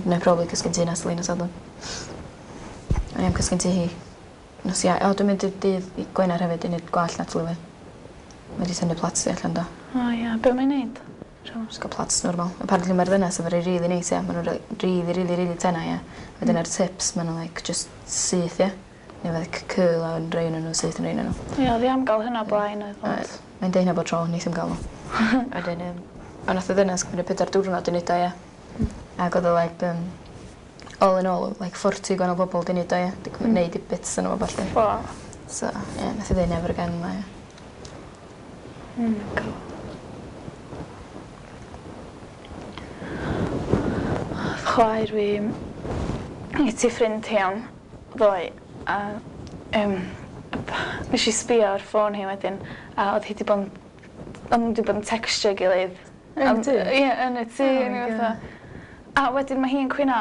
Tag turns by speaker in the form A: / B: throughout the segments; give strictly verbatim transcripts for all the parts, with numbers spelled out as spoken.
A: Neu probably cysgu'n tŷ Natalie nos Sadwrn. O'n i am cysgu'n tŷ hi. Nos Iau. O, dwi'n mynd i dydd Gwener hefyd i neud gwallt Natalie fi. Mae 'di tynnu plaits hi allan do.
B: O ia, be' mae'n neud?
A: Jyst ga'l plaits normal. Apparently ma'r ddynas efo rei rili neis ia ma' n'w rei rili rili rili tena ia. Wedyn ar tips ma' n'w like jyst syth ia? Neu like curl a yn rhei o'nyn n'w syth yn rhei o'nyn n'w.
B: Ia o'dd 'i am ga'l hynna o blaen oedd ond...
A: Mae'n deu hynna bob tro neith 'im ga'l o. Wedyn yym on' nath y ddynas cymryd pedwar diwrnod i neud o ia? Hmm. Ag o'dd o like yym all in all like forty gwanol bobol 'di neud o ia? 'Di cymryd neud i bits ono fo ballu.
B: Waw.
A: So ie nath 'i ddeu never again ddo ia.
B: Oh my God. O'dd chwaer fi i ti ffrind hi am ddoe a yym nesh i sbïo ar ffôn hi wedyn a o'dd hi 'di bo' yn o'n n'w 'di bod yn tecstio'i gilydd.
A: Yn y tŷ?
B: Ie yn y tŷ o'n i fatha a wedyn ma' hi'n cwyno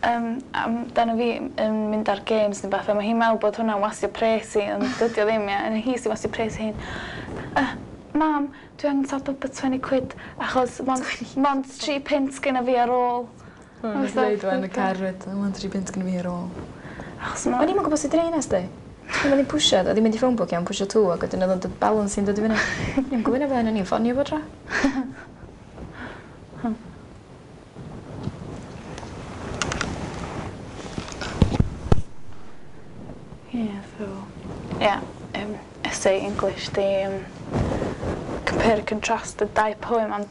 B: yym amdano fi yn mynd ar games ne' bath a ma' hi'n me'wl bod hwnna'n wastio pres hi ond dydi o ddim ia? A hi sy wastio pres hi. Yy mam dwi angen top up o twenty quid achos mond mond tri punt gynna fi ar ôl.
A: O nes i ddeud yn y car 'fyd o mond tri punt gynna fi ar ôl.
B: Achos ma'...
A: O'n i'm yn gwbo sut i neud 'na sti. Pan o'n i'n pwsio o'dd 'i'n mynd i phone book iawn pwsio two ag wedyn o'dd o'n dod balance hi'n dod i fyny. O'n i'm gwbo ynna blaen o'n i'n ffonio fo tro.
B: Hmm. Ie so ie yym essay English 'di yym compare and contrast y dau poem am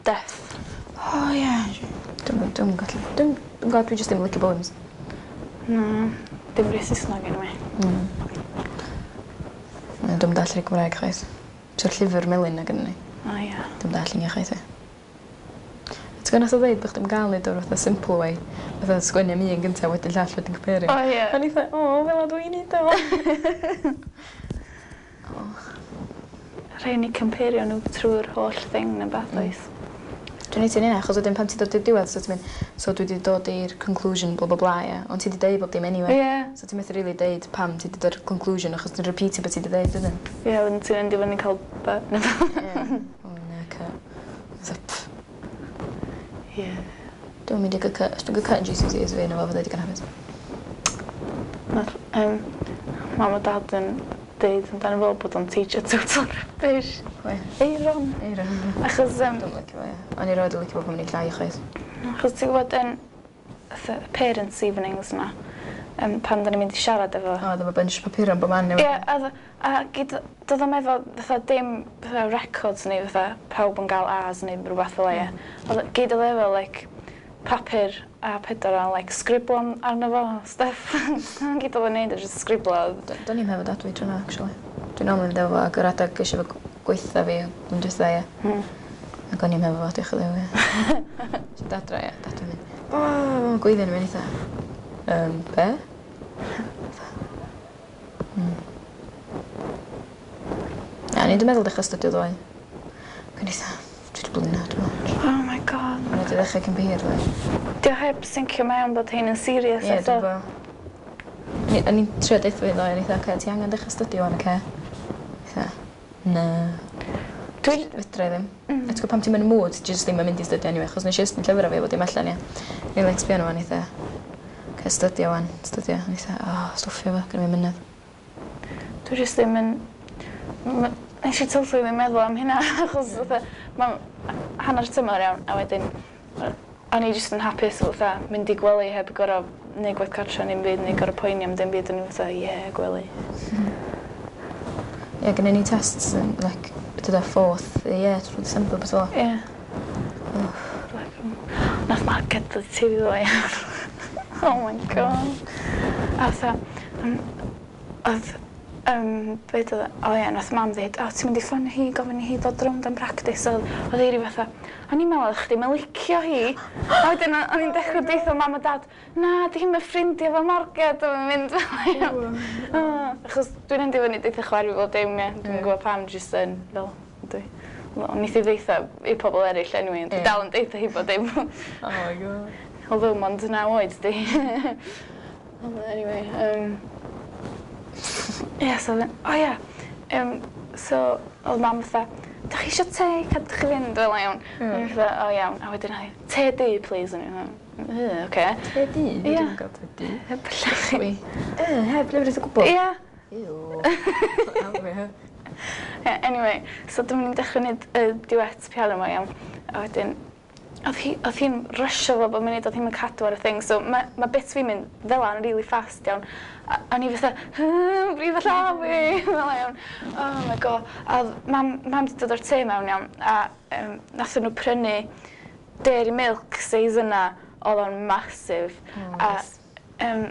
B: death.
A: O ie. Dwi'm yn dwi'm yn gallu dwi'm dwi'm g'od dwi jyst ddim yn licio poems.
B: Na dim rei Sysnag eniwe.
A: Mm. Na dwi'm dallt rhei Cymraeg chwaith. So'r llyfr melyn 'na gynnon ni.
B: O ia.
A: Dwi'm dallt llunia' chwaith ia. Ti gwbo nath o ddeud bo' chdi'm ga'l neud o fatha simple way fatha sgwennu am un gynta wedyn llall wedyn compario.
B: O ie.
A: O'n i 'tha o fela dwi'n neud o. O.
B: Rhai' ni compario n'w trw'r holl thing ne' wbath oes?
A: Dwi'n neud ti'n ynna achos wedyn pan ti dod i'r diwedd so ti'n mynd so dwi 'di dod i'r conclusion blah blah blah ia ond ti 'di deud bob dim anyway.
B: Ie.
A: So ti methu rili deud pam ti 'di dod i'r conclusion achos ti'n repeatio be' ti 'di deud wedyn.
B: Ie wedyn ti'n endio fyny ca'l by
A: Ie. O na cy. Fatha pff.
B: Ie.
A: Dwi'm mynd i gy cy os dwi'n gy cy yn Gee See Sees fi na fo fyddai digon hapus.
B: Nath yym mam a dad yn deud amdano fo bod o'n teacher total rubbish.
A: Pwy?
B: Euron.
A: Euron.
B: Achos yym...
A: Dwi'm licio fo ia. O'n i roed yn licio fo pan o'n i'n llai chwaith.
B: Achos ti gwbod yn fatha parents evenings 'ma yym pan 'dan ni'n mynd i siarad efo...
A: O o'dd efo bunch papura yn bob man
B: Ie a o'dd a gyd do'dd o'm efo fatha dim fatha records neu fatha pawb yn ga'l A's neu rwbath fel 'a ie? O'dd o gyd o'dd efo like papur a pedwar a like sgriblo'n arno fo a stuff. 'Na gyd o'dd o'n neud oedd jyst sgriblo.
A: D- do'n i'm hefo dad fi tro 'na actually. Dwi'n normally mynd efo fo ag yr adag ges i fo gweitha fi blwyddyn dwytha ie.
B: Hmm.
A: Ac o'n i'm hefo fo diolch o Dduw ie. So adra ie dad yn mynd o gweiddi arno fi o'n i 'tha yym be'? Hmm. Na o'n i 'di meddwl dechra astudio ddoe. Ac o'n i 'tha dwi 'di blino dwi me'wl.
B: Oh my God.
A: O'n i 'di ddechra cyn bo hir ddoe.
B: 'Di o heb sincio mewn bod hein yn serious
A: Ie
B: eto.
A: dwi gwbo. O'n i o'n i'n trio deutho fi ddoe o'n i 'tha ocê ti angen dechra astudio ŵan oce? 'Tha na.
B: Dwi...
A: Fedrai ddim.
B: Mm.
A: A t'gwo' pan ti'm yn y mood ti jyst ddim yn mynd i stydio anyway achos nesh i estyn llyfra fi a bod dim allan ia? O'n i like sbio arno fo o'n i 'tha oce stydio ŵan stydio o'n i 'tha o stwffio fo gynna fi'm mynedd.
B: Dwi jyst ddim yn m- nesh i totally ddim meddwl am hynna achos fatha ma' hanner tymor iawn a wedyn yy o'n i jyst yn hapus fatha mynd i gwely heb gor'o' neud gwaith cartra ne'm byd neu gor'o' poeni am dim byd o'n i fatha ie gwely.
A: Ie gynnon ni tests yn like be' 'di o fourth ie trw December petha fel 'a.
B: Ie. Nath Mark gadel tŷ ddoe. Oh my God. A fatha yym o'dd yym be' 'dodd e o ie nath mam ddeud o ti'n mynd i ffonio hi gofyn i hi ddod rownd am practis o'dd o'dd Eiry fatha o'n i'n me'wl o'ch chdi'm yn licio hi. A wedyn o- o'n i'n dechre deutha mam a dad na 'di hi'm yn ffrindia efo Marged a ma'n mynd fel 'a. O achos dwi'n endio fyny deutha chwaer fi bob dim ie. Dwi'm yn gwbo pam jyst yn fel dwi. Wel neith i ddeutha i pobol eryll anyway ond dwi dal yn deutha hi bob dim.
A: Oh my God.
B: Although mond naw oed 'di. Ond anyway yym ie so o'dd e'n o ia yym so o'dd mam fatha da chi eisiau te? Cadwch chi fynd fel iawn. Mm. O'n i fatha, o iawn. A wedyn, ai, te du, please. O'n i fatha, "Yy, oce."
A: Te du?
B: Ie.
A: Dwi'n gael te du.
B: Heb llechi.
A: Wi. Yy, heb lefrith o gwbl?
B: Ie.
A: Ew. Ie.
B: Yeah, anyway, so dyma ni'n dechrau gwneud y duet piano yma iawn. A wedyn, oedd hi, oedd hi'n rysio fo bob munud, oedd hi'n cadw ar y thing. So mae ma bits fi'n mynd fel 'na'n really fast iawn. A, a ni fatha, brif y llaw fi, fel 'na iawn. Oh my God. A oedd mam, mam 'di dod o'r tŷ mewn iawn, a um, nathon nhw prynu Dairy Milk seis yna, oedd o'n massive.
A: Oh,
B: A
A: nice.
B: um,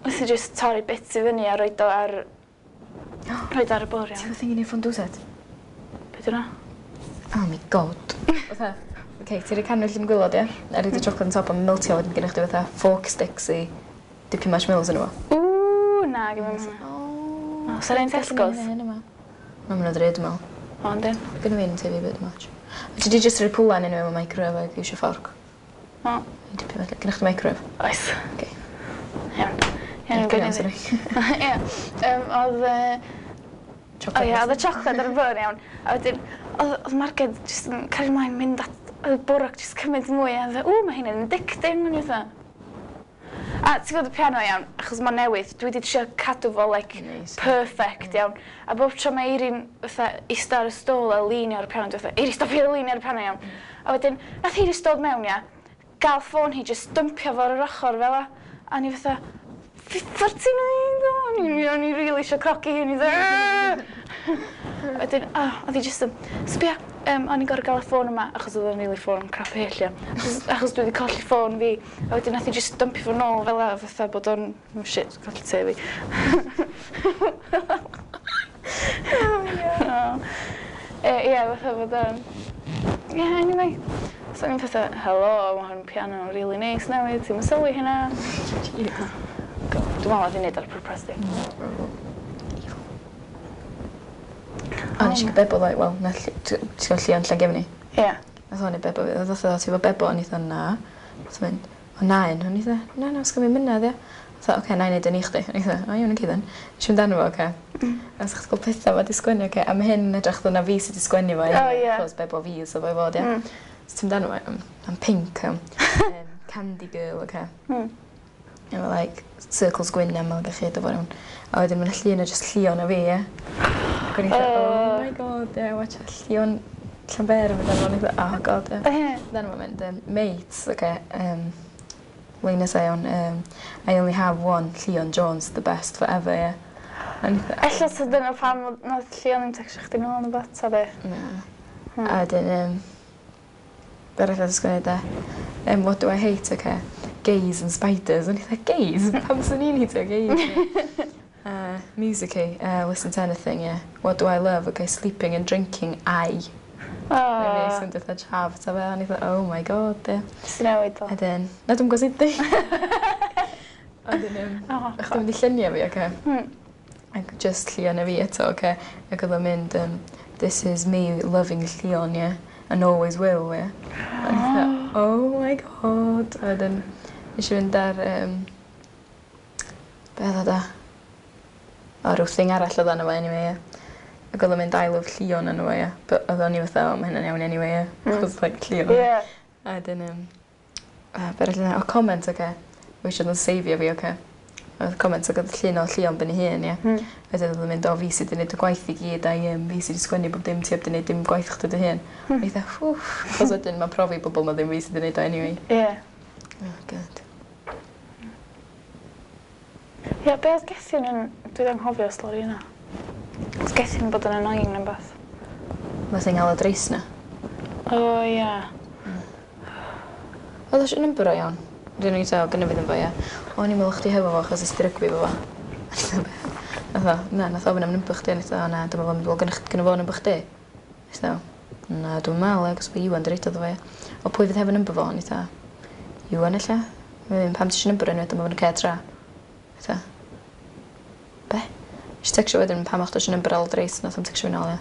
B: nes i just torri bits i fyny a roed o ar, roed o ar y bwrdd
A: Ti'n
B: iawn.
A: gwybod thing i neud fondue set?
B: Be 'di hwnna?
A: Oh my God. Fatha, oce, ti'n rhoi cannwyll yn gwaelod, ie? A rhoid y chocolate on top a meltio wedyn gennych chdi fatha fork sticks i dipio marshmallows yn efo.
B: Ww, na, gyda fi hwnna.
A: Oh.
B: O, sa'r un Tesco's?
A: Ma' nhw'n ddrud, dwi'n meddwl.
B: O, yndyn.
A: Gynna fi un tŷ fi bit much. Ti di just rhoi pwlan yn mewn microwave ac iwsio fforc.
B: O,
A: I dipio felly. Gynna chdi microwave?
B: Oes.
A: Oce.
B: Iawn. Iawn,
A: Carry on,
B: gwneud
A: sorry.
B: Ie. Yym, Oedd... yy, O
A: Chocolate.
B: ie, oedd y chocolate ar y bwrdd iawn. A wedyn, oedd oedd Marged jyst yn cario ymlaen mynd at y bwrdd ac jyst cymryd mwy. A oedd, ww, mae hyn yn addicting. O'n i fatha. A ti'n gwybod y piano iawn, achos mae'n newydd, dwi wedi trio cadw fo like
A: Nice.
B: perfect iawn. A bob tro mae Eirin fatha ista ar y stôl a leanio ar y piano, dwi fatha, "Eiri, stopio leanio ar y piano," iawn. A wedyn, nath hi jyst dod mewn, ia, gael ffôn hi, jyst dumpio fo ar yr ochr fel 'a. A ni fatha, "Ffordd ti'n neud o?" O'n i, o'n i really eisiau crogi hi, o'n i fatha, wedyn, oh, oedd hi jyst yn, "Sbia, um, o'n i'n gorfod gael y ffôn yma," achos oedd o'n really ffôn crap hyll, ia. Achos, achos dwi wedi colli ffôn fi. A wedyn nath hi jyst dumpio fo nôl fel 'a, fatha bod o'n, oh shit, colli te fi.
A: Oh, yeah.
B: Oh. E, ie, fatha bod o'n... Yeah, anyway. So o'n i'n fatha, "Helo, mae hwn piano really nice newydd, ti'n sylwi hynna?"
A: Jeez.
B: God, dwi'n meddwl oedd hi'n neud ar pwrpas di.
A: Evil. O, nes i gael bebo ddoe, wel, na, ll- t- ti'n gwybod Llion Llangefni?
B: Ie. Yeah.
A: Nath o'n i bebo fi, oedd o, "Ti efo bebo?" O'n i fatha, "Na." Nath o mynd, "O na un." O'n i fatha, "Na, na, sgan fi mynadd, ia." Fatha, "Oce, na i neud yn i chdi." O'n i fatha, "O, iawn, oce then." Nes i fynd arno fo, oce. A sa'ch gweld pethau ma di sgwennu, oce. A mae hyn yn edrych fel na fi sydd wedi sgwennu fo.
B: O, ie.
A: Achos bebo fi so fo i fod, ia.
B: Mm.
A: So ti'n mynd arno fo, I'm pink, um, um, candy girl, oce.
B: Mm.
A: Efo, like, circles gwyn am gallu do fo iawn. A wedyn mae'n llun o just Llion a fi, ie. Ac o'n i fatha,
B: Oh.
A: "Oh my God, yeah, watch Llion Llanber yn mynd arno." O'n i fatha, "Oh God, yeah."
B: Ie.
A: Then mae'n mynd, um, mates, okay, um, lein nesa iawn, um, "I only have one, Llion Jones, the best forever," yeah. A o'n i fatha,
B: Ella ta dyna pam oedd- nath Llion ddim textio chdi nôl yn y bat, ta be?
A: Na.
B: Hmm.
A: A wedyn, um, be arall oedd sgwennu de? Um, what do I hate, okay? Gays and spiders." O'n i fatha, "Gays? Pam swn i'n heitio gays?" Uh, music, uh, listen to anything, yeah. What do I love? Okay, sleeping and drinking, I.
B: O,
A: Oh. O'n i'n fatha chav, ta fe, o'n i fatha, "Oh my God," yeah.
B: Jyst i newid o.
A: A wedyn, na dwi'n gwybod sut di. A wedyn, um,
B: O,
A: ych chi'n mynd i lluniau fi, oce?
B: Hmm.
A: Ac just Llion a fi eto, oce? Ac oedd o'n mynd, um, "This is me loving Llion, yeah? And always will, yeah." A o'n i fatha, "Oh my God." A wedyn, nes i fynd ar, um, be oedd o da? O, rhyw thing arall oedd arno fo anyway, yeah. Ac oedd o'n mynd, "I love Llion" arno fo, yeah. But oedd o'n i fatha, "O, mae hynna'n iawn anyway, yeah."
B: Mm.
A: Achos, like, Llion.
B: Ie.
A: A wedyn, um, uh, be arall yna? O, comment, oce. Okay. Eisiau nhw'n seifio fi, oce. Oedd comment ac oedd llun o Llion ben ei hun, ie.
B: Hmm.
A: Wedyn oedd o'n mynd, "O, fi sydd wedi gwneud y gwaith i gyd, a um, fi sydd wedi sgwennu bob dim, ti heb wedi gwneud dim gwaith chdi dy hun."
B: Hmm.
A: A i fatha, "Wff," achos wedyn mae'n profi bobl na ddim fi sydd wedi gwneud o anyway.
B: Ie.
A: Oh, God.
B: Ie, be oedd Gethin yn... Dwi wedi anghofio stori yna. Oedd Gethin yn bod yn annoying neu beth.
A: Mae thing Aled Rees na.
B: O, ie.
A: Oedd eisiau number o iawn. Dwi'n ei gael, gynna fi ddim fo, ie. "O'n i'n meddwl chdi hefo fo achos ys ti rygbi fo fo." Nath o, na, nath o ofyn am number chdi, a nes i, "O na, dwi'n meddwl, wel, gynna gynna fo number chdi?" Nes i, "Na, dwi'n meddwl, agos bod Iwan di roid o iddo fo, ie." "O, pwy fydd hefo number fo?" O'n i fatha, "Iwan ella. Wedyn, pam ti eisiau number enw, dyma fo'n y cer tra." Fatha, "Be?" Nes i tecsio wedyn, "Pam o'ch eisiau number Aled Rees?" Nath o'm tecsio fi nôl, ie.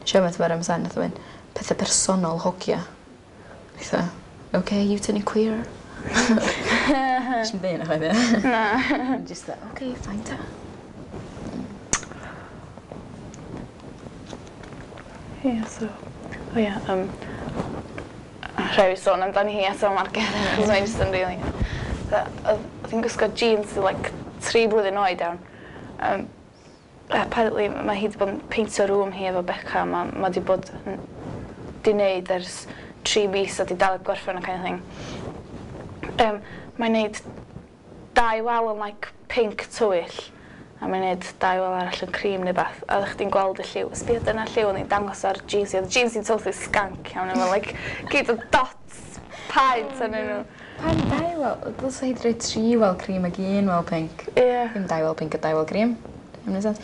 A: Nes i ofyn ar M S N, nath o fynd, "Pethau personol hogia." Nes i fatha, "Okay, you turning queer?" Nes i'm deud na chwaith, ie.
B: Na.
A: Just that, "Okay, fine ta."
B: Ie, so... O ie, um, rhaid fi sôn amdani hi eto Marged, achos mae'n just yn really... Oedd hi'n gwisgo jeans like tri blwyddyn oed iawn. Um, apparently mae hi wedi bod yn peintio room hi efo Beca, mae ma wedi bod yn di wneud ers tri mis a di dal i gorffen a kind of thing. Um, mae'n neud dau wal yn like pink tywyll a mae'n neud dau wal arall yn cream neu beth a ddech chdi'n gweld y lliw. Sbia dyna lliw o'n i'n dangos ar jeans hi. Oedd jeans hi'n totally skank iawn efo like gyd o dots paent arnyn nhw.
A: Pam dau wal? Dylse hi 'di rhoi tri wal cream ag un wal pink.
B: Ie. Yeah.
A: Ddim dau wal pink a dau wal cream. Ddim neud sense.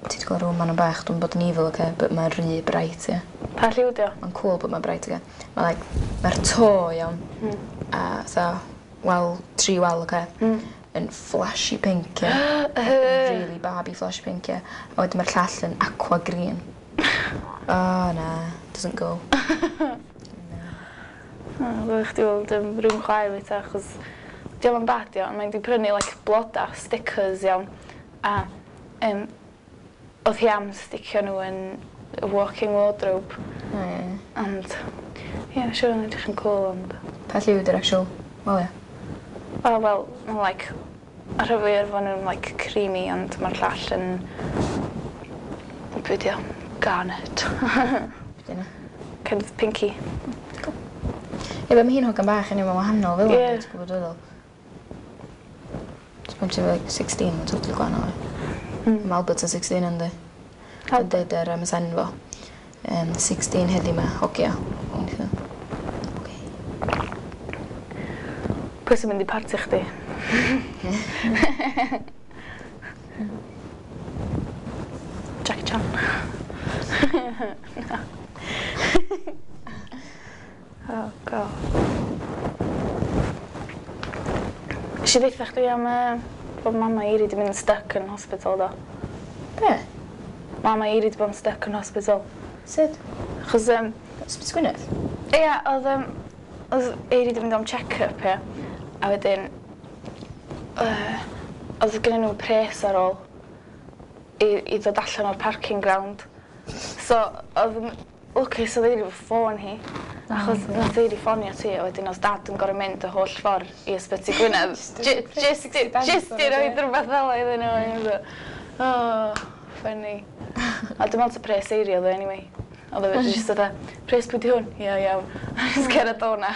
A: Ti 'di gweld room ma'n bach, dwi'n bod yn evil, okay, but mae'n rhy bright, ie.
B: Pa lliw di o?
A: Mae'n cool but mae'n bright, okay. Mae like, mae'r to iawn.
B: Mm.
A: A fatha, wal, tri wal, okay.
B: Mm.
A: Yn flashy pink, ie. Really Barbie flashy pink, ie. A wedyn mae'r llall yn aqua green. Oh, na, doesn't go.
B: Oh, Ddylech chdi weld um, rhywun chwaer fi ta, achos diolch yn bad iawn, mae'n di prynu like, bloda, stickers iawn, a um, oedd hi am sticio nhw yn y walk-in wardrobe,
A: O, ie.
B: ond ie, yeah, siŵr yn edrych yn cool, ond
A: Pa lliw ydy'r actual wal, ie?
B: oh, wel, ma' like, ar rhan fwyaf efo nhw'n like creamy, ond mae'r llall yn, be di o, garnet.
A: Be di hynna?
B: Kind of pinky.
A: Ie, but mae hi'n hogan bach, anyway, mae'n wahanol fel
B: Ie.
A: yna, ti'n gwybod feddwl. So pan ti'n like sixteen, mae'n totally gwahanol. ie.
B: Mm.
A: Mae Albert yn sixteen yndi. Yn deud ar M S N fo. Um, sixteen heddi ma, hogia. O'n i fatha, "Ocê."
B: Pwy sy'n mynd i parti chdi? Jackie Chan. No. Oh, God. Nes i ddeutha chdi am uh, bod mama Eiri di mynd yn stuck yn hospital do.
A: Be?
B: Mama Eiri di bod yn stuck yn hospital.
A: Sut?
B: Achos, um,
A: Ysbyty Gwynedd?
B: Ia, oedd, um, oedd Eiri di mynd am check-up, ia. A wedyn, uh, oedd gennyn nhw pres ar ôl i, i ddod allan o'r parking ground. So, oedd yn lwcus oedd Eiri efo ffôn hi. Achos nath Eiri ffonio ti, a wedyn oedd dad yn gorfod mynd y holl ffordd i Ysbyty Gwynedd. Ju- Just i just i roid rhywbeth fel 'a iddyn nhw. O'n i fatha, oh, funny. A dwi'n meddwl ta pres Eiri oedd o anyway. Oedd o just fatha, pres pwy di hwn? Ia, iawn. Just cerdded o na.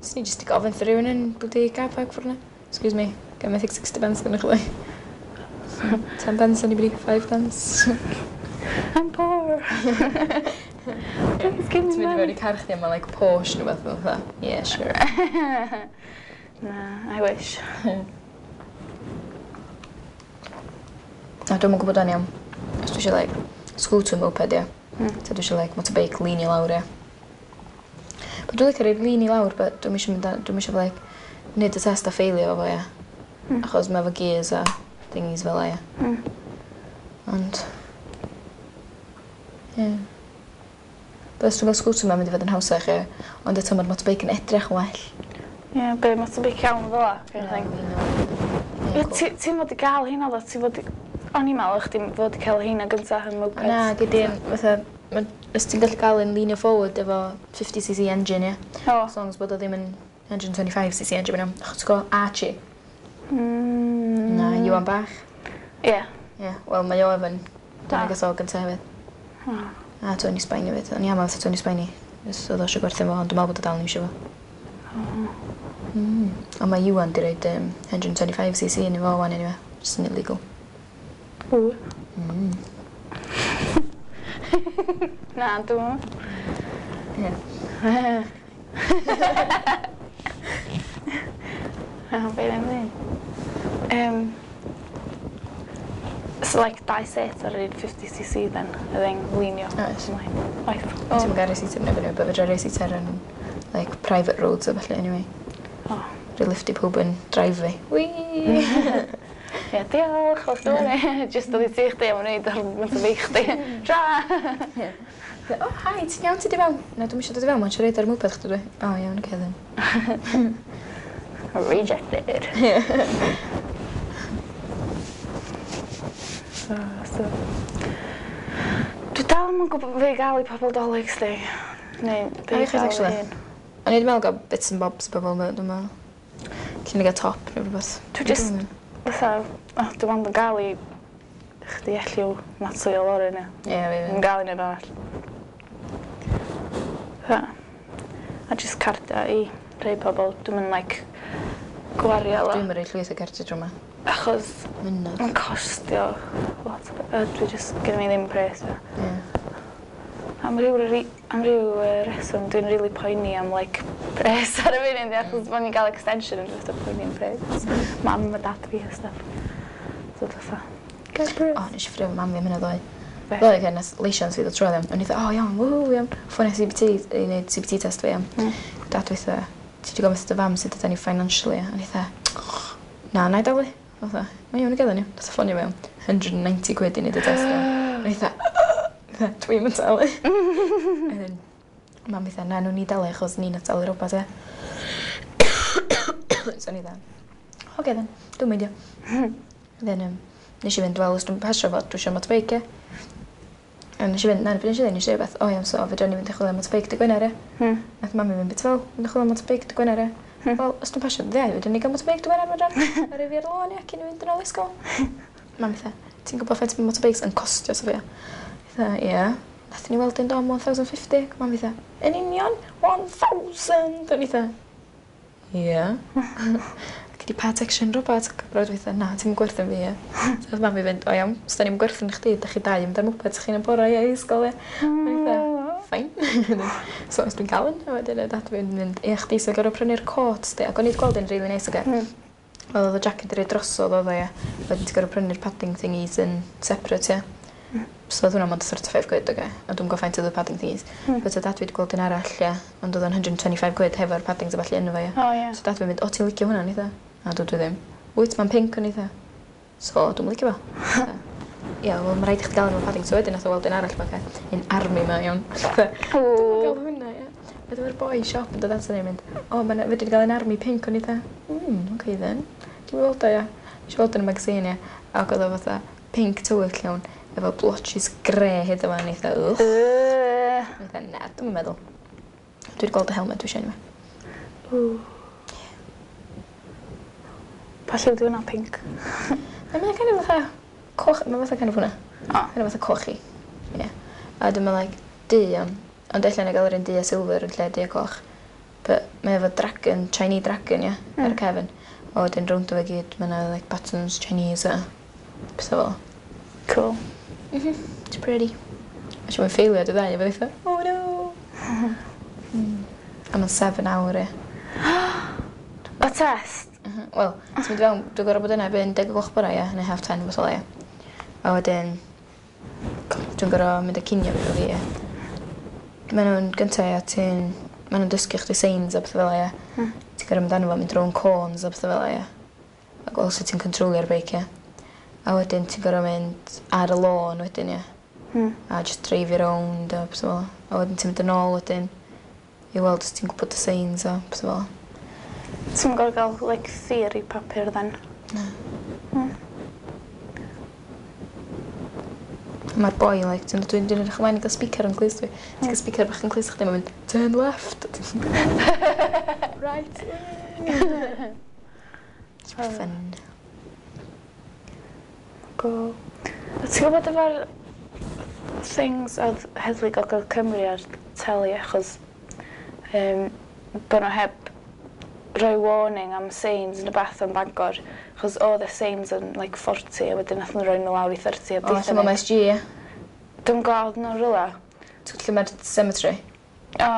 A: Swn i jyst 'di gofyn wrth rhywun yn bloody car park ffordd 'na. "Excuse me, ga i methu sixty pence gyda chdi? ten pence, anybody? five pence?"
B: I'm poor. Please give me
A: Ti'n mynd i fewn
B: money.
A: i car chdi a mae like Porsche neu beth fel fatha. "Yeah, sure."
B: Na, I wish.
A: Na, dwi'm yn gwybod o'n iawn. Os dwi eisiau like scooter moped, ie.
B: Mm.
A: Ta dwi eisiau like motorbike lean i lawr, ie. But dwi'n licio rhoi lean i lawr, but dwi'm eisiau mynd a- dwi'm eisiau like neud y test a failio fo, ie.
B: Mm.
A: Achos mae efo gears a thingies fel 'a, ie.
B: Mm.
A: Ond ie. But os dwi'n gael scooter mae'n mynd i fod yn hawsach, ie. Ond eto mae'r motorbike yn edrych yn well.
B: Ie, be, motorbike iawn fel 'a, kind of thing.
A: Ie,
B: Ie, ti- ti'n fod i gael hynna ddo, ti'n fod i... O'n i'n meddwl chdi fod i cael hynna gynta yn moped.
A: Na, gyd i'n fatha, ma- os ti'n gallu gael un leanio forward efo fifty c c engine, ie.
B: O.
A: As long as bod o ddim yn one hundred twenty-five c c engine, mae'n iawn. Achos ti'n gwybod Archie?
B: Mm.
A: Na, Iwan bach.
B: Ie.
A: Ie, wel mae o efo'n... Dyna
B: Ah.
A: gath o gynta hefyd.
B: O.
A: A Tony Spiney hefyd. O'n i am fatha Tony Spiney. Os oedd o eisiau gwerthu fo, ond dwi'n meddwl bod o dal ddim eisiau fo. Mm. Ond mae Iwan di roid um, one hundred twenty-five c c yn efo wan anyway. Just yn illegal.
B: Ww.
A: Mm.
B: Na, dwi'n
A: Ie.
B: Na, be ddim ddim. Um, so like dau set ar yr un fifty c c then, y thing leanio.
A: Oes.
B: Ymlaen. Oes.
A: Ti'n gael race seat yn efo, but fedra race seat ar yn like private roads a falle anyway.
B: Oh.
A: Rwy lift i pawb yn drive fi. Whee!
B: Ie, diolch, os dwi'n Just oedd i ti chdi am wneud ar motorbike chdi. Tra!
A: "Oh, hi, ti'n iawn, ti di fewn?" "Na, dwi'm eisiau dod i fewn, mae'n siarad ar moped chdi dwi." "O, iawn, oce then."
B: Rejected. So, so. Dwi dal ddim yn gwybod be i gael i pobl Dolig, sti. Neu be i gael i hun.
A: O'n i wedi meddwl gael bits and bobs i bobl, dwi'n meddwl. Lle ni gael top neu rhywbeth.
B: Dwi just, fatha, oh, dwi'n ond yn gael i chdi Elliw, Natalie o Lauren, ie.
A: Ie, fi
B: Yn gael i neb arall. Fatha, a just cardia i rhai pobl. Dwi'n mynd, like, gwario lot.
A: Dwi'n mynd rhoi llwyth o cardiau drwy yma.
B: Achos
A: Mynadd.
B: mae'n costio lot. Uh, dwi just, gen i ddim pres. Ie.
A: Yeah.
B: Am ryw, ri- am ryw uh, reswm, dwi'n really poeni am, like, pres ar y funud, achos bod ni'n gael extension yn just poeni am pres. Mam a dad fi a stuff. So fatha, get pres.
A: O, nes i ffrio mam fi am hynna ddoe.
B: Be?
A: Ddoe, okay, nes licence fi ddod trwy ddim. O'n i dda, o iawn, ww, iawn. Ffonio C B T i wneud C B T test fi, iawn.
B: Mm.
A: Dad weitha, ti wedi gofyn wrth dy fam sut ydyn ni financially? O'n i dda, na, na i dalu. Fatha, mae iawn i gael ni. Nath o ffonio fi am one hundred ninety quid i wneud y test. O'n i dda, dwi'n mynd talu. And then, mam fi dda, na, nhw'n ni dalu achos ni'n talu rhywbeth, e. So o'n i dda, oce then, dwi'n meindio. And then, um, nes i fynd, wel, os dwi'n pasio fo, dwi eisiau motorbike, ie. A nes i fynd, na, nes i ddweud, nes i rhywbeth, o iawn, so fedra ni fynd i chwilio am motorbike dy Gwener, ie.
B: Hmm.
A: Nath mami fynd bit fel, mynd i chwilio am motorbike dy Gwener, ie.
B: Hmm.
A: Wel, os dwi'n pasio dy ddiau, fedra ni gael motorbike dy Gwener, fedra. A rhoi fi ar y lôn, ie, cyn i fynd yn ôl i ysgol. Mami fatha, ti'n gwybod faint mae motorbikes yn costio, Sofia? Fatha, ie. Nath ni weld un do am one thousand fifty. Mami fatha, yn union, one thousand! O'n i fatha, ie. Ac di part action robot. Ac brawd fi fatha, na, ti'n gwerthu fi, ie. So nath mami fynd, o iawn, os da ni'n gwerthu chdi, da chi dau yn mynd ar moped chi'n y bora, ie, i ysgol, ie. O'n i fatha, fine. So os dwi'n cael un, a wedyn y dad fi'n mynd, ie, chdi sy'n gorfod prynu'r cot, di. Ac o'n i wedi gweld un really nice, oce.
B: Hmm.
A: Wel, oedd y jacket i roi drosodd oedd o, ie. Wedyn ti'n gorfod prynu'r padding thingies yn separate, ie.
B: Mm.
A: So oedd hwnna mond thirty-five quid, oce. A dwi'n gwybod faint oedd y padding thingies.
B: Mm.
A: But oedd dad fi wedi gweld un arall, ie. Ond oedd o'n one hundred twenty-five quid hefo'r paddings a ballu yno fo, ie.
B: O, ie.
A: So dad fi'n mynd, o, ti'n licio hwnna, nitha? A dwi dwi ddim. Wyt, mae'n pink, o'n eitha. So, dwi'n licio fo. Ie, wel, mae rhaid i chdi gael efo padding. So wedyn nath o weld un arall, ma, oce. Un army ma, iawn. Dwi'n gael hwnna, ie. Wedyn mae'r boi siop yn dod ato ni yn mynd, o, mae'n fedri di gael un army pink, o'n i dda. Mm, okay then. Dwi'n weld o, ie. Nes i weld yn y magazine, ie. Ac oedd o fatha pink tywyll iawn, efo blotches grey hyd yma, o'n i dda, ugh.
B: Yy.
A: O'n i dda, na, dwi'n meddwl. Dwi wedi gweld y helmet, dwi eisiau un.
B: Ww. Pa lliw di hwnna, pink?
A: Na, mae'n kind of fatha coch, mae'n fatha kind of hwnna.
B: O.
A: Kind of fatha cochi. Ie. Yeah. A dwi'n meddwl, like, du iawn. Ond ella na gael yr un du a silver yn lle du a coch. But mae efo dragon, Chinese dragon, ie, mm. ar y cefn. A wedyn rownd o fe gyd, mae yna like, buttons Chinese a pethau fel.
B: Cool.
A: Mm -hmm. It's pretty. A siw mae'n ffeilio dy ddau, a fe ddeitha, oh no! mm. A mae'n seven hour, ie.
B: O test?
A: Mm -hmm. Wel, ti'n mynd i fewn, dwi'n gorfod bod yna erbyn deg o gloch bora, ie, neu half ten, beth o ie. A wedyn, dwi'n gorfod mynd â cinio fi efo fi, ie. Maen nhw'n gyntaf, ie, ti'n... Maen nhw'n dysgu chdi signs a pethau fel 'a, ie.
B: Mm.
A: Ti'n gorfod mynd arno fo, mynd rownd cones a pethau fel 'a, ie. A gweld sut ti'n controlio'r beic, ie. A wedyn ti'n gorfod mynd ar y lôn wedyn, ie.
B: Mm.
A: A just dreifio rownd a pethau fel 'a. A wedyn ti'n mynd yn ôl wedyn i weld os ti'n gwybod y signs a pethau fel 'a.
B: Ti'n gorfod gael, like, theory papur then?
A: Na.
B: Mm.
A: Mae'r boi, like, ti'n dwi'n dwi'n edrych ymlaen i gael speaker yn clust fi. Ti'n cael speaker bach yn clust chdi, mae'n mynd, "Turn left." Right. It's fun.
B: Go. A ti'n gwybod efo'r things oedd Heddlu Gogledd Cymru ar teli achos um, bod nhw heb rhoi warning am signs yn y bath yn Bangor achos oedd y signs yn like forty a wedyn nath nhw rhoi nhw lawr i thirty a
A: O, lle mae M S G, ie.
B: Dwi'n gweld nhw rhywle.
A: Ti'n lle mae'r cemetery?
B: O,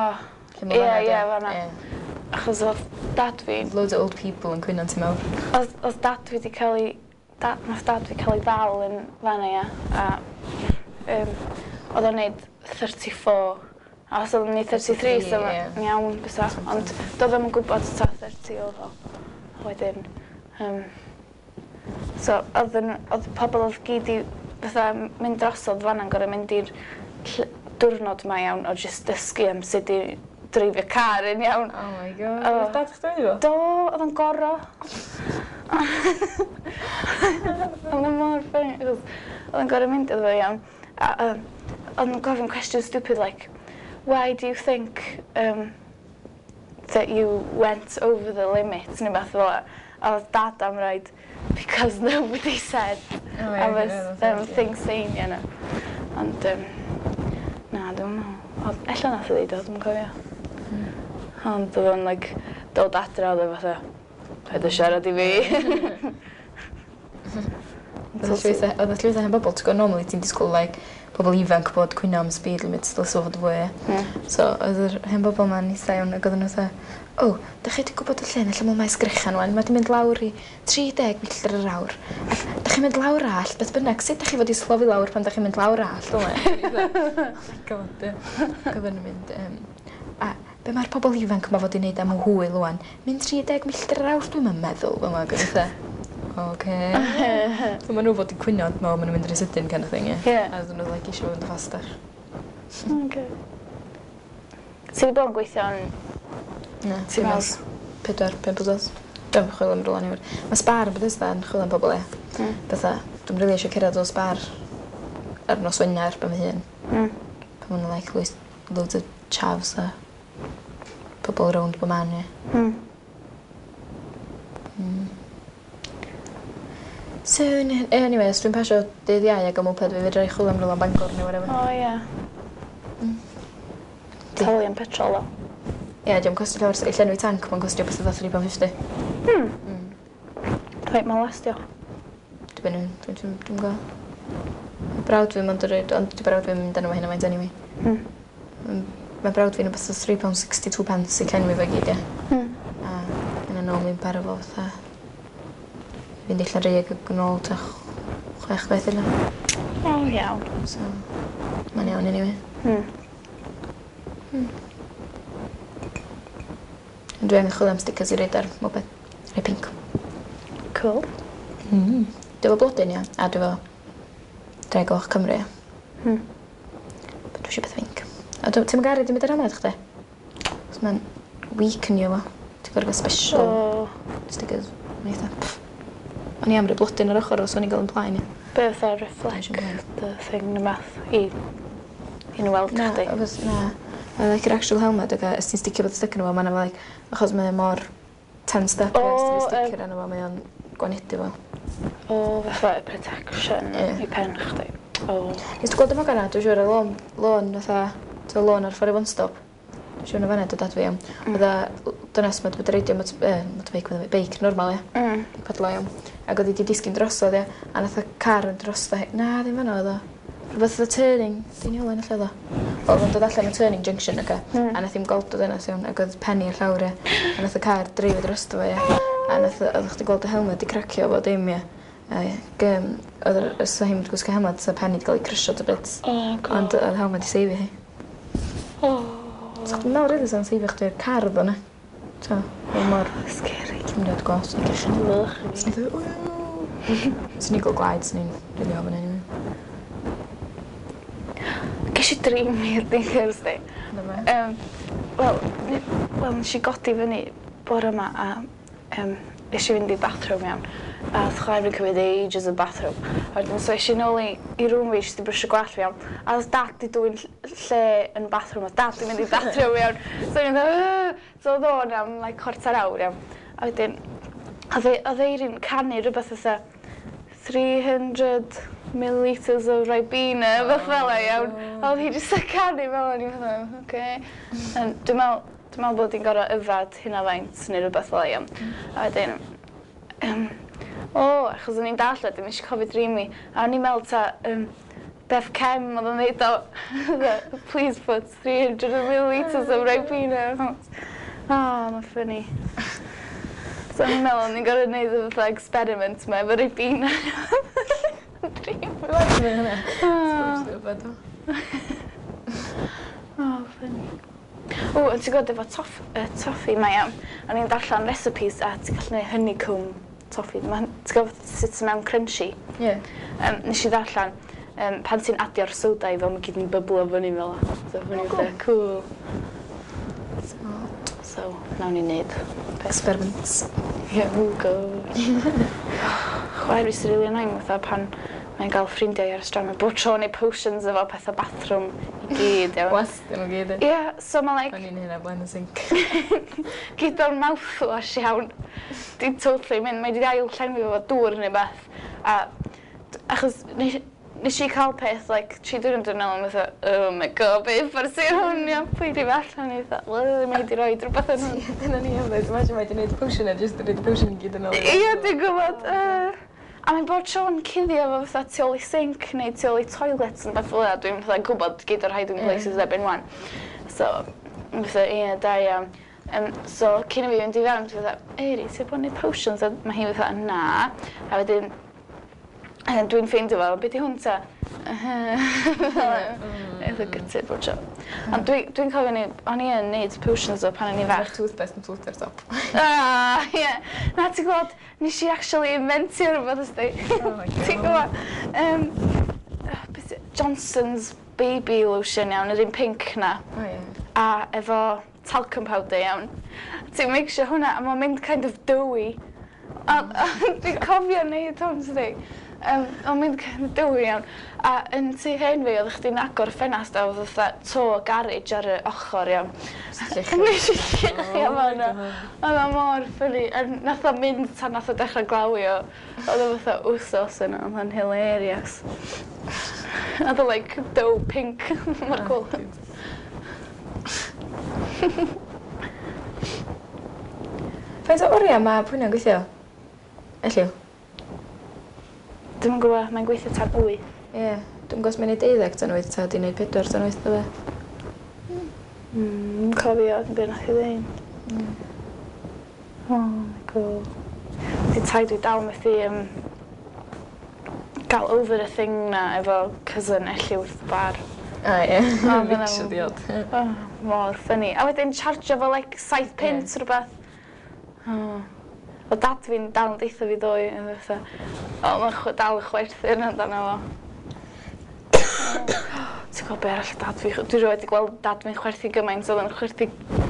A: Lle mae
B: Ie,
A: fan'na,
B: ie,
A: de?
B: fan'na.
A: Ie.
B: Achos oedd dad fi,
A: Loads of old people yn cwyno ti mewn.
B: oedd, oedd dad fi wedi cael ei, da, nath dad fi cael ei ddal yn fan'na, ia, a um, oedd o'n neud thirty-four. A os oedd o'n neud thirty-three, so
A: thirty-three,
B: ma'n iawn, bysa. Ond doedd ddim yn gwybod ta thirty oedd o. A wedyn, um, so oedd, yn, oedd pobl oedd gyd i fatha mynd drosodd fan'na'n gorfod mynd i'r ll- diwrnod ma iawn o jyst dysgu am sut i dreifio car yn iawn.
A: Oh my God.
B: O.
A: Oedd dad chdi wedi fo?
B: Do, oedd o'n goro. Oedd o'n mor funny, achos oedd o'n gorfod mynd iddo fo iawn. A um, Oedd nhw'n gofyn question stupid like, why do you think um, that you went over the limit, neu beth fel 'a. A oedd dad am roid, because nobody said
A: Oh,
B: I was um, thing saying, you know. Ond, um, na, dwi'n meddwl. Ond ella nath o ddeud o, dwi'n cofio. Ond oedd o'n, like, dod adra, oedd o fatha, paid â siarad i fi.
A: Oedd y llwyth o- oedd y llwyth o hen bobl, ti'n gwybod, normally ti'n disgwyl, like, pobl ifanc bod cwyno am speed limits, dylse fo fod fwy, ie.
B: Mm.
A: So, oedd yr hen bobl ma'n eitha iawn, ac oedden nhw fatha, o, dach chi wedi gwybod y lle yn lle mae sgrechan wan, mae wedi mynd lawr i tri deg milltir yr awr. Ac dach chi'n mynd lawr allt, beth bynnag, sut dach chi fod i slofi lawr pan dach chi'n mynd lawr allt, o? Oh my God, ie. Ac oedden nhw'n mynd, um, a be mae'r pobl ifanc yma fod i wneud am hwyl wan? Mynd tri deg milltir yr awr, dwi'n meddwl, fel yma, ac o'n fatha, oce. So maen nhw fod i cwyno, ond maen nhw'n mynd rhy sydyn kind of thing, ie.
B: Ie.
A: A oedden nhw like eisiau fynd yn fastach.
B: Okay. Ti wedi bod yn gweithio yn
A: Na,
B: Ti
A: dim
B: mawr?
A: ers pedwar, pump wsos. Dwi'n chwilio am rhywle newydd. Mae Spar yn Bethesda yn chwilio am pobl, ie.
B: Mm.
A: Fatha, dwi'n rili eisiau cerdded o Spar ar nos Wener ben fy hun.
B: Mm.
A: Pan maen nhw'n like loads, loads o chavs a pobl rownd bob man, ie.
B: Mm.
A: Mm. So, anyway, os dwi'n pasio dydd Iau ac am moped fi, fedra i chwilio am rhywle yn Bangor neu whatever.
B: O, ie.
A: Mm.
B: Talu am petrol, o.
A: Ie, yeah, diolch costio llawer. I llenwi tanc, mae'n costio beth oedd tri pound fifty.
B: Hmm.
A: Mm.
B: Wait, mae'n lastio?
A: Dwi'n dwi'n dwi'n dwi'n dwi'n gwybod. Brawd fi mond yn rhaid, ond di brawd fi'n mynd arno fo hynna faint anyway.
B: Mm.
A: Mm, Mae brawd fi'n rhywbeth o three pounds sixty-two pence i llenwi fo i gyd, ie.
B: Mm.
A: A yna normally yn para fo fatha fynd i Llanrug ac yn ôl ta chwech gwaith illa.
B: O, iawn.
A: So, mae'n iawn anyway.
B: Mm.
A: Mm. Ond dwi angen chwilio am stickers i roid ar moped. Rhai pink.
B: Cool.
A: Mm. Dwi efo blodyn, ia, a dwi efo Ddraig Goch Cymru, ia.
B: Mm.
A: But dwi eisiau beth pink. A dwi- ti'n garu di mynd ar helmet chdi? Cos mae'n weakenio fo. Ti'n gorfod gael special
B: O,
A: stickers. Mae'n eitha, pff. O'n i am rhoi blodyn ar ochr os o'n i'n gael yn plaen, ia.
B: Be fatha reflect the thing neu beth i i nhw weld
A: Na,
B: chdi?
A: achos na. I like yr actual helmet, ac os ti'n sticio bod sticker nhw, mae'n like, achos mae mor tensed up,
B: O,
A: os ti'n
B: yym.
A: sticker arno fo, mae o'n gwanedu fo.
B: O, fatha protection
A: Ie.
B: i pen chdi. O.
A: Nes ti gweld y fogan na, dwi'n siŵr y lôn, lôn fatha, ti'n lôn ar ffordd i One Stop. Dwi'n siŵr na fanna dod at fi am.
B: Mm.
A: Oedd dynas ma wedi bod yn reidio mot- yy, motorbike, meddwl fi, beic normal, ie.
B: Mm.
A: Pedlo iawn. Ac oedd hi wedi disgyn drosodd, ie. A nath y car yn drosto hi. Na, ddim fanna oedd o. Rhywbeth oedd y turning, Deiniolen lle oedd o. Oedd o'n dod allan o turning junction, oce.
B: Mm.
A: A nath hi'm gweld o dynas iawn, ac oedd pen hi i'r llawr, ie. A nath y car dreifio drosto fo, ie. A nath, oedd chdi gweld y helmet di cracio fo dim, ie. Ac um, oedd yr, os oedd hi'n gwisgo helmet, sa pen hi wedi cael ei crysio to bits.
B: Oh, God.
A: Ond oedd helmet di seifio hi.
B: Oh.
A: So chdi'n meddwl rili sa'n seifio chdi'r car ddo, ne? So, oedd mor
B: Scary.
A: Dwi'n mynd gwas, ni'n gallu.
B: Wych.
A: Swn i'n dweud, "Ww." Swn i'n gweld gwaed, swn i'n rili ofn anyway.
B: Ges i dream weird yn Thursday.
A: Na fe.
B: Um, Wel, ni- wel, nes i godi fyny bore yma a um, nes i fynd i bathroom iawn. A oedd chwaer fi'n cymryd ages yn bathroom. A wedyn, so es i nôl i, i room fi, jyst i brwsio gwallt fi iawn. A oedd dad di dwyn ll- lle yn bathroom, oedd dad di mynd i bathroom iawn. So o'n i'n dweud, so oedd o'n am like chwarter awr iawn. A wedyn, oedd e- oedd Eirin canu rhywbeth fatha three hundred millilitres of Ribena, oh, fel e iawn. A oedd hi jyst yn canu fel o'n i'n fatha, oce. Um, Dwi'n meddwl, dwi'n meddwl bod hi'n gorfod yfad hynna faint neu rhywbeth fel e iawn. A wedyn, um, o, achos o'n i'n dallt wedyn, nes i cofio dream mi. A o'n i'n meddwl ta, um, Beth Cem oedd yn dweud o, "Please put three hundred millilitres of Ribena." Oh, mae'n funny. So o'n i'n meddwl o'n i'n gorfod gwneud y fatha experiment ma efo Ribena. Dream.
A: Dwi'n hynna.
B: Oh,
A: Stupid.
B: oh, funny. O, ond ti'n gwybod efo toff, uh, toffee mae iawn. O'n i'n darllen recipes a ti'n gallu gwneud honeycomb toffee. Ma'n- Ti'n gwybod sut sy'n mewn crunchy?
A: Ie.
B: Um, nes i ddarllen, um, pan ti'n adio'r soda i fel, mae gyd yn byblo fyny fel 'a. So, fyny
A: Oh,
B: fatha, cool.
A: So,
B: So, nawn ni wneud.
A: experiments.
B: Yeah, oh god. Chwaer fi sy'n really annoying fatha pan mae'n Mae'n gael ffrindiau ar y stryd. Mae'n bob tro neud potions efo pethau bathroom i gyd, iawn.
A: Wastio nhw gyd.
B: Ie, yeah, so mae like
A: O'n i'n hynna blaen y sink.
B: Gyd o'r mouthwash, iawn. Di totally mynd, mae di ail llenwi efo dŵr neu beth. A d- achos nes, nes i cael peth, like, tri diwrnod yn ôl, a fatha, "Oh my God, be ffordd sy'n hwn, iawn, pwy di fe allan?" I fatha, "Wel, mae di roi rhywbeth yn hwn."
A: Dyna ni hefyd. Imagine mae di wneud potion a just di wneud potion i gyd yn ôl.
B: Ie, dwi'n gwybod. Uh, a mae'n bod tro'n cuddio efo fatha tu ôl i sink neu tu ôl i toilet yn beth fel 'na. Dwi'n fatha gwybod gyd o'r hiding
A: Ie.
B: places erbyn wan. So, fatha, ie, da iawn. Um, so, cyn i fi fynd i fewn, dwi'n fatha, "Eiri, ti'n bod yn neud potions?" A mae hi fatha, "Na." A wedyn, a dwi'n ffeindio fel, "Be di hwn ta?" Eitha gutted bod tro. Ond dwi'n dwi cofio ni, o'n i yn neud potions o pan o'n i
A: Mae'r
B: fach.
A: toothpaste yn floatio'r top.
B: Ah, ie. Na, ti'n gwybod, nes i actually inventio rhywbeth ysdi.
A: Oh my God.
B: Ti'n gwybod? Um, beth y- Johnson's baby lotion, iawn, yr un pink na.
A: O ie.
B: A efo talcum powder, iawn. Ti'n mixio hwnna a mae'n mynd kind of doughy. A, a dwi'n cofio neud hwn, sydd. Um, mae'n mynd kind of doughy, iawn. A yn tŷ hen fi, oeddech chdi'n agor y ffenast a oedd fatha to garage ar y ochr, iawn. Nes i lluchio
A: Oh
B: fo yna. Oedd o mor funny. A nath o mynd tan nath o dechrau glawio. Oedd o fatha wsos yna, oedd o'n hilarious. Oedd o like dough pink. Mor cool.
A: Oh, faint o oriau mae pwyna'n gweithio? Elliw?
B: Dwi'm yn gwybod, mae'n gweithio tan wyth.
A: Ie. Yeah. Dwi'n gwybod os mae'n neud deuddeg tan wyth ta di neud pedwar tan wyth, dwi.
B: Mm, cofio beth nath i ddweud.
A: Mm.
B: Oh my God. Di taid fi dal methu um, gael over y thing na efo cousin Elliw wrth y bar.
A: A ie.
B: O, dyna
A: Mixio
B: fo.
A: diod.
B: Oh, mor funny. A wedyn chargio fo like saith pint
A: Ie.
B: rhywbeth. Oh. O dad fi'n dal yn deutha fi ddoe, yn fatha, o, mae'n chw- dal yn chwerthin amdano fo. Ti'n gwybod be arall dad fi, dwi rioed wedi gweld dad fi'n chwerthu gymaint, oedd yn chwerthu,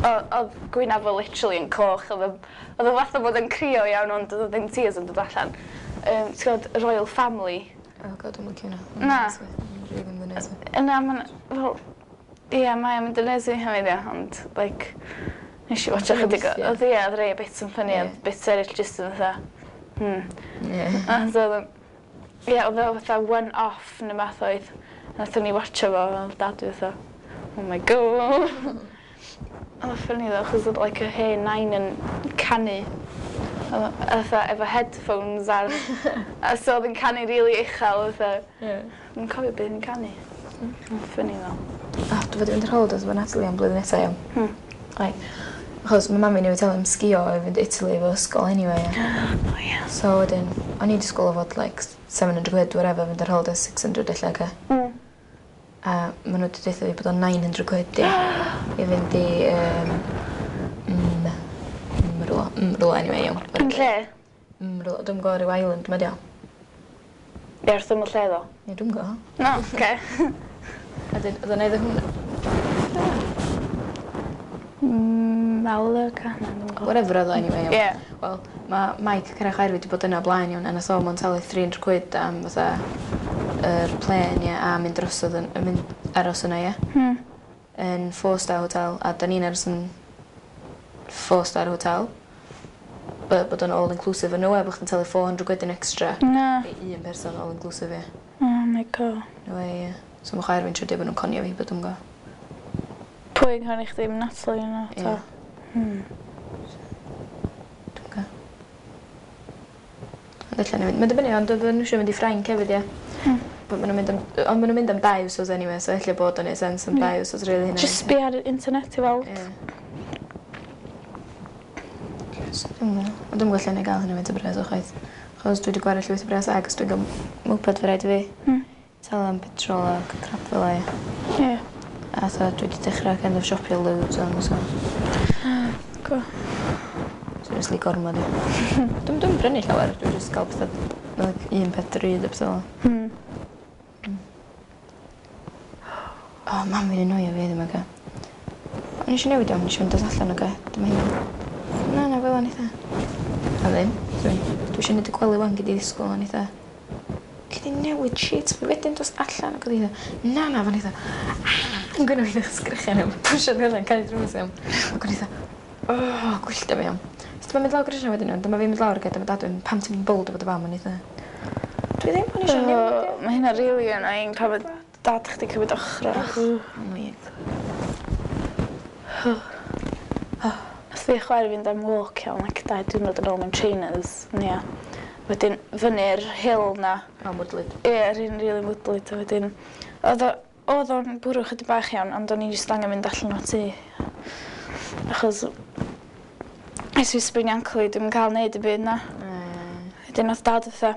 B: o- oedd gwynaf fo literally yn coch, oedd o- oedd o fatha bod yn crio iawn, ond oedd o ddim tears yn dod allan. Um, ti'n gwybod, y Royal Family?
A: Oh God, dwi'n licio hwnna.
B: Na.
A: Rili mynd yn neis.
B: Yna, mae'n, fel, ie, mae o'n mynd yn neis i hefyd, ie, ond, like, nes i watcha
A: Funny
B: chydig o,
A: weithiau.
B: oedd ie, oedd rei bits yn funny,
A: Ie.
B: oedd bits eraill jyst yn fatha, hmm.
A: Ie.
B: A so oedd o'n, ie, oedd o fatha one-off neu math oedd. Nathon ni watcha fo, oedd dad fi fatha, "Oh my God." Oedd o'n funny though, achos oedd like y hen nain yn canu. Oedd o- fatha efo headphones ar, a so oedd yn canu really uchel, fatha,
A: Ie.
B: dwi'n cofio beth yn canu. Oedd o'n funny though.
A: Ah, dwi fod i fynd ar holidays efo Natalie am blwyddyn nesaf, iawn.
B: Hmm.
A: Ai. Achos mae mami newydd talu am sgio i fynd i Italy efo ysgol anyway. Ie.
B: Oh yeah.
A: So wedyn, o'n i'n disgwyl o fod like seven hundred quid, whatever, fynd ar holidays six hundred ella, ca.
B: Mm.
A: A maen nhw wedi deutha fi bod o'n nine hundred quid i, i fynd i um, mm, mm, rwla, mm, rwla anyway, iawn.
B: Yn lle?
A: Mm, rwla, dwi'n gwybod ryw island ma di o.
B: Ie, wrth ymyl lle ddo?
A: Ie, dwi'n gwybod.
B: No, oce.
A: A dyn, oedd o'n neud hwnna.
B: Mm, Malaga? Na, dwi'n gwybod.
A: Whatever oedd o anyway, iawn.
B: Ie.
A: Wel, mae Mike cynnau chwaer fi wedi bod yna o blaen, iawn, a nath o mond talu three hundred quid am fatha yr plane, ie, a mynd drosodd yn, yn mynd aros yna, ie.
B: Hmm.
A: Yn four star hotel, a da ni'n aros yn four star hotel. But bod o'n all inclusive, yn no way bod chdi'n talu four hundred quid yn extra
B: Na.
A: i un person all inclusive, ie.
B: Oh my God.
A: No way, ie. So mae chwaer fi'n trio deud bod nhw'n conio fi, but dwi'n gwybod.
B: Pwy yn canu chdi? Natalie yna?
A: Ie.
B: Ta? Hmm.
A: Dwi'n gwybod. Ond ella ni fynd. Mae'n dibynnu, ond oedden nhw eisiau mynd i Ffrainc hefyd, ie.
B: Hmm.
A: But maen nhw'n mynd am, ond maen nhw'n mynd am dau wsos anyway, so ella bod o'n neud sense am
B: Ie.
A: dau wsos really hynna.
B: Just sbio ar y internet i weld.
A: Ie. So, dwi'n gwybod. Ond dwi'n gwybod lle na i gael hynny faint o bres o chwaith. Achos dwi wedi gwario llwyth o bres ac os dwi'n gael moped fe rhaid i fi.
B: Hmm.
A: Talu am petrol ac crap fel 'a.
B: Ie.
A: A so dwi wedi dechrau kind of siopio loads on, so.
B: Go.
A: Seriously gormod i. Dwi'n dwi'n brynu llawer, dwi'n just gael pethau, like, un peth drud a pethau fel 'na.
B: Hmm.
A: O, oh, mam fi'n annoio fi ddim, oce. O'n i eisiau newid o, o'n i eisiau mynd allan, oce. Dyma hynna. Na, na, fel o'n eitha. A ddim. Dwi, dwi eisiau neud y gwely wan gyd i ddisgwyl o'n eitha. Gallu Gei di newid sheets fi wedyn dos allan ac oedd hi fatha na na fan eitha yn gynna fi sgrechian am pwsio fi allan cau drws iawn. Ac o'n i fatha o gwylltio fi iawn. So dyma mynd lawr grisia wedyn iawn dyma fi'n mynd lawr ag dyma dad yn pam ti'n mynd bold efo dy fam o'n i fatha dwi ddim o'n i isio newid.
B: Mae hynna rili annoying pan ma' dad chdi cymryd ochrach.
A: Annoying.
B: Nath fi a chwaer fi fynd am walk iawn like dau diwrnod yn ôl mewn trainers. Ia. Wedyn fyny'r hill 'na.
A: O mwdlyd.
B: Ie yr un rili mwdlyd a wedyn o'dd o o'dd o'n bwrw chydig bach iawn ond o'n i jyst angen mynd allan o'r tŷ. Achos es i sprainio ankle fi dwi'm yn ca'l neud dim byd na.
A: Mm.
B: Wedyn nath dad fatha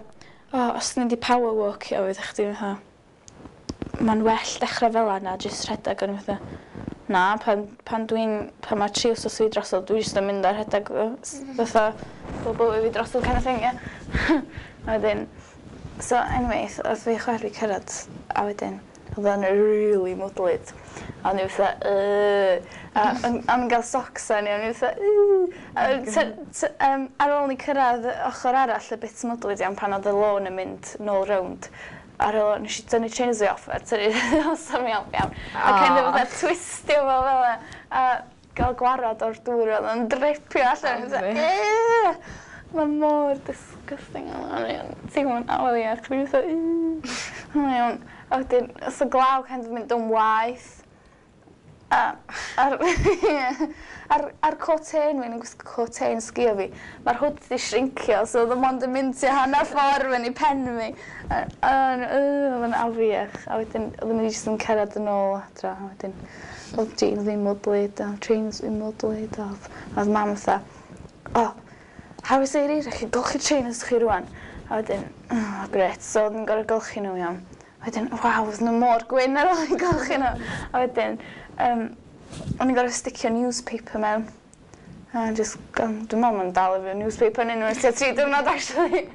B: o os ti'n mynd i power walkio fydd chdi fatha ma'n well dechra fel 'a na jyst rhedag o'n i fatha na pan pan dwi'n pan ma' tri wsos fi drosodd dwi jyst yn mynd a rhedag fatha bob bywyd fi drosodd kind of thing ie. A wedyn so anyway o'dd fi chwaer fi cyrradd a wedyn o'dd o'n rili mwdlyd a o'n i fatha yy a o'n o'n i'n ga'l socks arni o'n i fatha yy a t- t- yym ar ôl ni cyrradd ochor arall y bit mwdlyd iawn pan o'dd y lôn yn mynd nôl rownd ar ôl nesh i tynnu trainers fi off a tynnu so mi off iawn. A kind of fatha twistio fo fel 'a a ga'l gwarad o'r dŵr o'dd o'n dripio allan fatha yy ma' mor disgusting o'n i'n teimlo'n afiach o'n i fatha yy o iawn. A wedyn os y glaw kind of mynd yn waeth a a'r ie a'r a'r coten fi o'n i'n gwisgo coten sgïo fi ma'r hood 'di shrinkio so o'dd o mond yn mynd tua hannar ffor fyny pen fi a o'n yy o'dd o'n afiach a wedyn oedden ni jyst yn cerdded yn ôl adra a wedyn o'dd jeans fi'n mwdlyd a trainers fi'n mwdlyd a o'dd o'dd mam fatha o how is it chi golchi trainers chi rŵan a wedyn oh grêt so o'dd yn gor'o' golchi nhw iawn. Wedyn waw o'dd nhw mor gwyn ar ôl i golchi nhw a wedyn yym o'n i'n gor'o' sticio newspaper mewn a jyst gan dwi me'wl ma'n dal efo newspaper yn unwaith tua tri diwrnod actually.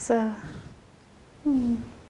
B: So hmm.